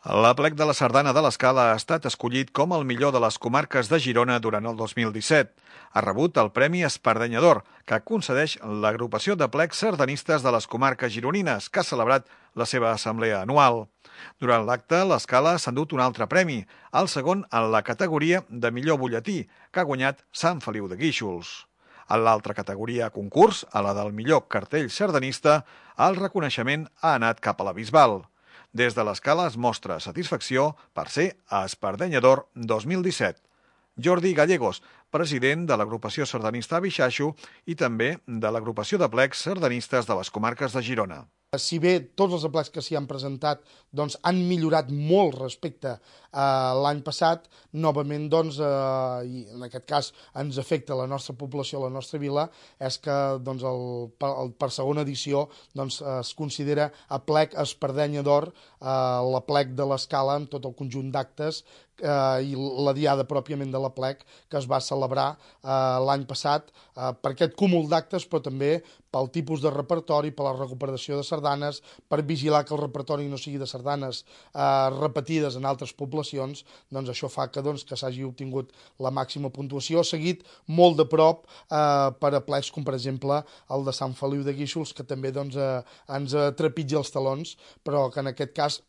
L'Aplec de la Sardana de l'Escala ha estat escollit com el millor de les comarques de Girona durant el 2017. Ha rebut el Premi Espardenyador, que concedeix l'agrupació de plecs sardanistes de les comarques gironines, que ha celebrat la seva assemblea anual. Durant l'acte, l'Escala s'ha endut un altre premi, el segon en la categoria de millor butlletí, que ha guanyat Sant Feliu de Guíxols. En l'altra categoria concurs, a la del millor cartell sardanista, el reconeixement ha anat cap a la Bisbal. Des de l'Escala es mostra satisfacció per ser Espardenyador 2017. Jordi Gallegos, president de l'agrupació sardanista Bixaixo i també de l'agrupació de plecs sardanistes de les comarques de Girona. Si bé tots els aplecs que s'hi han presentat doncs, han millorat molt respecte a l'any passat, novament, i en aquest cas ens afecta la nostra població, la nostra vila, és que doncs, per segona edició es considera aplec Espardenya d'Or, l'aplec de l'Escala amb tot el conjunt d'actes i la diada pròpiament de l'aplec que es va celebrar l'any passat per aquest cúmul d'actes, però també pel tipus de repertori, per la recuperació de sardanes, per vigilar que el repertori no sigui de sardanes repetides en altres poblacions, doncs això fa que s'hagi obtingut la màxima puntuació, seguit molt de prop per aplecs com per exemple el de Sant Feliu de Guíxols, que també ens trepitja els talons, però que en aquest cas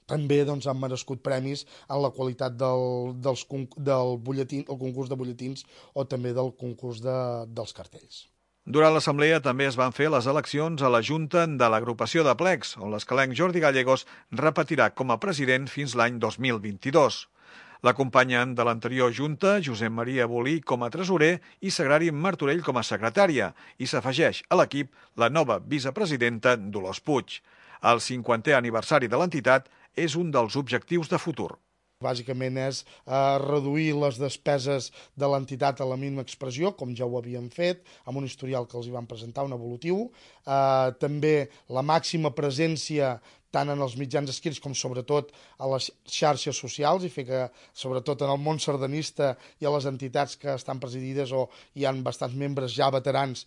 també han merescut premis en la qualitat del butlletí, el concurs de butlletins o també del concurs dels cartells. Durant l'assemblea també es van fer les eleccions a la Junta de l'agrupació de plecs, on l'escalenc Jordi Gallegos repetirà com a president fins l'any 2022. L'acompanyen de l'anterior Junta Josep Maria Bolí com a tresorer i Sagrari Martorell com a secretària i s'afegeix a l'equip la nova vicepresidenta Dolors Puig. El 50è aniversari de l'entitat és un dels objectius de futur. Bàsicament és reduir les despeses de l'entitat a la mínima expressió, com ja ho havíem fet, amb un historial que els hi van presentar, un evolutiu. També la màxima presència tant en els mitjans escrits com sobretot a les xarxes socials i fer que, sobretot en el món sardanista i a les entitats que estan presidides o hi ha bastants membres ja veterans,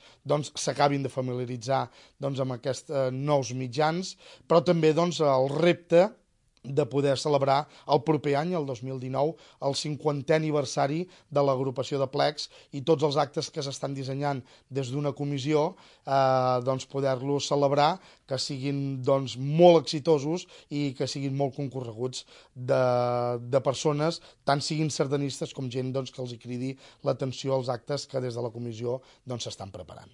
s'acabin de familiaritzar amb aquests nous mitjans, però també el repte de poder celebrar el proper any, el 2019, el 50è aniversari de l'agrupació de plecs i tots els actes que s'estan dissenyant des d'una comissió, poder-los celebrar, que siguin molt exitosos i que siguin molt concorreguts de persones, tant siguin sardanistes com gent que els hi cridi l'atenció als actes que des de la comissió s'estan preparant.